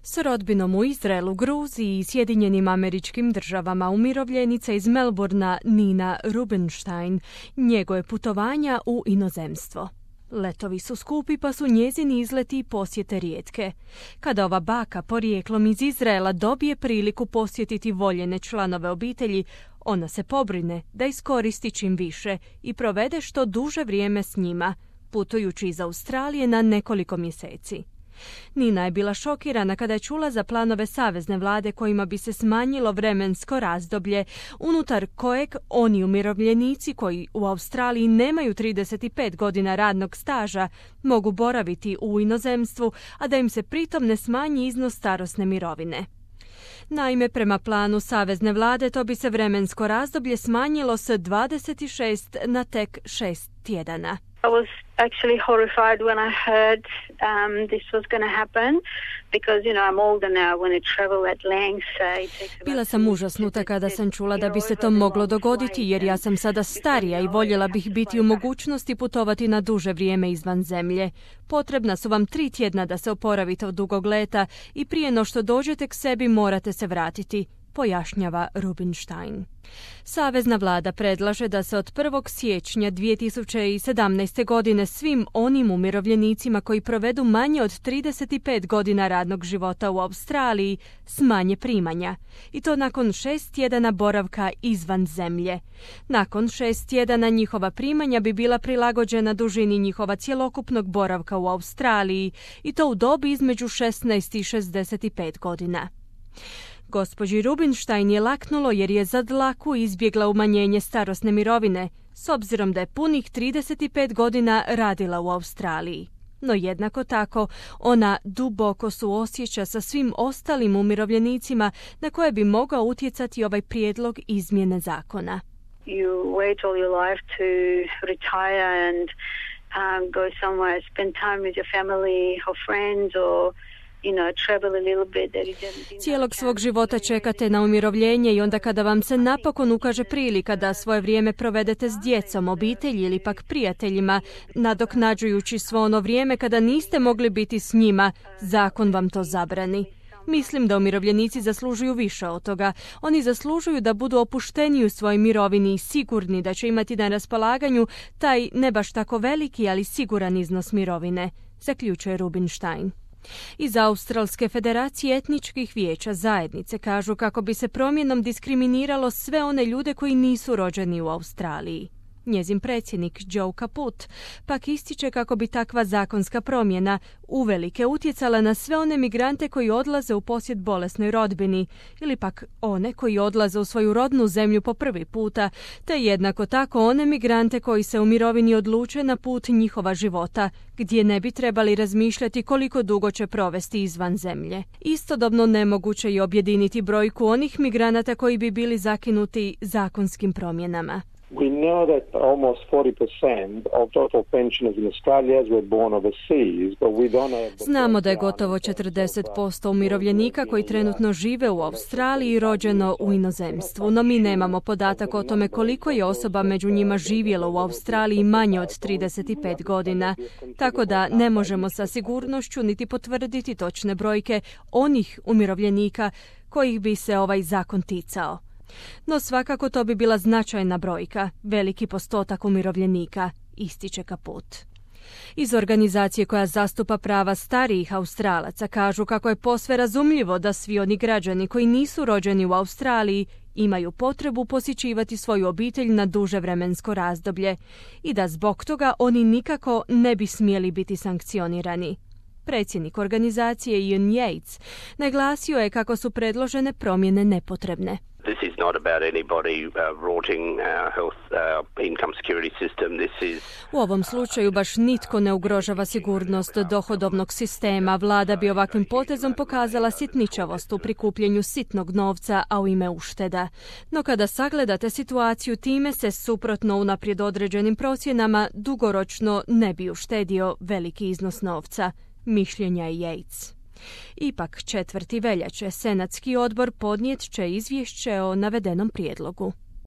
S rodbinom u Izraelu, Gruziji i Sjedinjenim Američkim Državama umirovljenica iz Melbourna Nina Rubinstein njeguje putovanja u inozemstvo. Letovi su skupi pa su njezini izleti i posjete rijetke. Kada ova baka porijeklom iz Izraela dobije priliku posjetiti voljene članove obitelji, ona se pobrine da iskoristi čim više i provede što duže vrijeme s njima, putujući iz Australije na nekoliko mjeseci. Nina je bila šokirana kada je čula za planove savezne vlade kojima bi se smanjilo vremensko razdoblje unutar kojeg oni umirovljenici koji u Australiji nemaju 35 godina radnog staža mogu boraviti u inozemstvu, a da im se pritom ne smanji iznos starosne mirovine. Naime, prema planu savezne vlade to bi se vremensko razdoblje smanjilo s 26 na tek 6 tjedana. I was actually horrified when I heard this was going to happen because, I'm older now when I travel at length. Bila sam užasnuta kada sam čula da bi se to moglo dogoditi jer ja sam sada starija i voljela bih biti u mogućnosti putovati na duže vrijeme izvan zemlje. Potrebna su vam 3 tjedna da se oporavite od dugog leta i prije no što dođete k sebi morate se vratiti, pojašnjava Rubinstein. Savezna vlada predlaže da se od 1. siječnja 2017. godine svim onim umirovljenicima koji provedu manje od 35 godina radnog života u Australiji smanje primanja. I to nakon 6 tjedana boravka izvan zemlje. Nakon 6 tjedana njihova primanja bi bila prilagođena dužini njihova cjelokupnog boravka u Australiji i to u dobi između 16 i 65 godina. Gospođi Rubinstein je laknulo jer je za dlaku izbjegla umanjenje starosne mirovine, s obzirom da je punih 35 godina radila u Australiji. No jednako tako, ona duboko suosjeća sa svim ostalim umirovljenicima na koje bi mogao utjecati ovaj prijedlog izmjene zakona. You wait all your life to retire and go somewhere, spend time with your family or friends or Cijelog svog života čekate na umirovljenje i onda kada vam se napokon ukaže prilika da svoje vrijeme provedete s djecom, obitelji ili pak prijateljima, nadoknađujući svo ono vrijeme kada niste mogli biti s njima, zakon vam to zabrani. Mislim da umirovljenici zaslužuju više od toga. Oni zaslužuju da budu opušteni u svojoj mirovini i sigurni da će imati na raspolaganju taj ne baš tako veliki, ali siguran iznos mirovine, zaključuje Rubinstein. Iz Australske federacije etničkih vijeća zajednice kažu kako bi se promjenom diskriminiralo sve one ljude koji nisu rođeni u Australiji. Njezin predsjednik Joe Caput pak ističe kako bi takva zakonska promjena uvelike utjecala na sve one migrante koji odlaze u posjet bolesnoj rodbini ili pak one koji odlaze u svoju rodnu zemlju po prvi puta, te jednako tako one migrante koji se u mirovini odluče na put njihova života, gdje ne bi trebali razmišljati koliko dugo će provesti izvan zemlje. Istodobno nemoguće je objediniti brojku onih migranata koji bi bili zakinuti zakonskim promjenama. We know that almost 40% of total pensioners in Australia were born overseas, but we don't have... Znamo da je gotovo 40% umirovljenika koji trenutno žive u Australiji rođeno u inozemstvu, no mi nemamo podatak o tome koliko je osoba među njima živjelo u Australiji manje od 35 godina, tako da ne možemo sa sigurnošću niti potvrditi točne brojke onih umirovljenika kojih bi se ovaj zakon ticao. No svakako to bi bila značajna brojka, veliki postotak umirovljenika, ističe Caput. Iz organizacije koja zastupa prava starijih Australaca kažu kako je posve razumljivo da svi oni građani koji nisu rođeni u Australiji imaju potrebu posjećivati svoju obitelj na duže vremensko razdoblje i da zbog toga oni nikako ne bi smjeli biti sankcionirani. Predsjednik organizacije Ian Yates naglasio je kako su predložene promjene nepotrebne. This is not about anybody rorting our health, income security system. U ovom slučaju baš nitko ne ugrožava sigurnost dohodovnog sistema. Vlada bi ovakvim potezom pokazala sitničavost u prikupljenju sitnog novca, a u ime ušteda. No kada sagledate situaciju, time se suprotno unaprijed određenim procjenama dugoročno ne bi uštedio veliki iznos novca, mišljenja je Yates. Ipak 4. veljače Senatski odbor podnijet će izvješće o navedenom prijedlogu.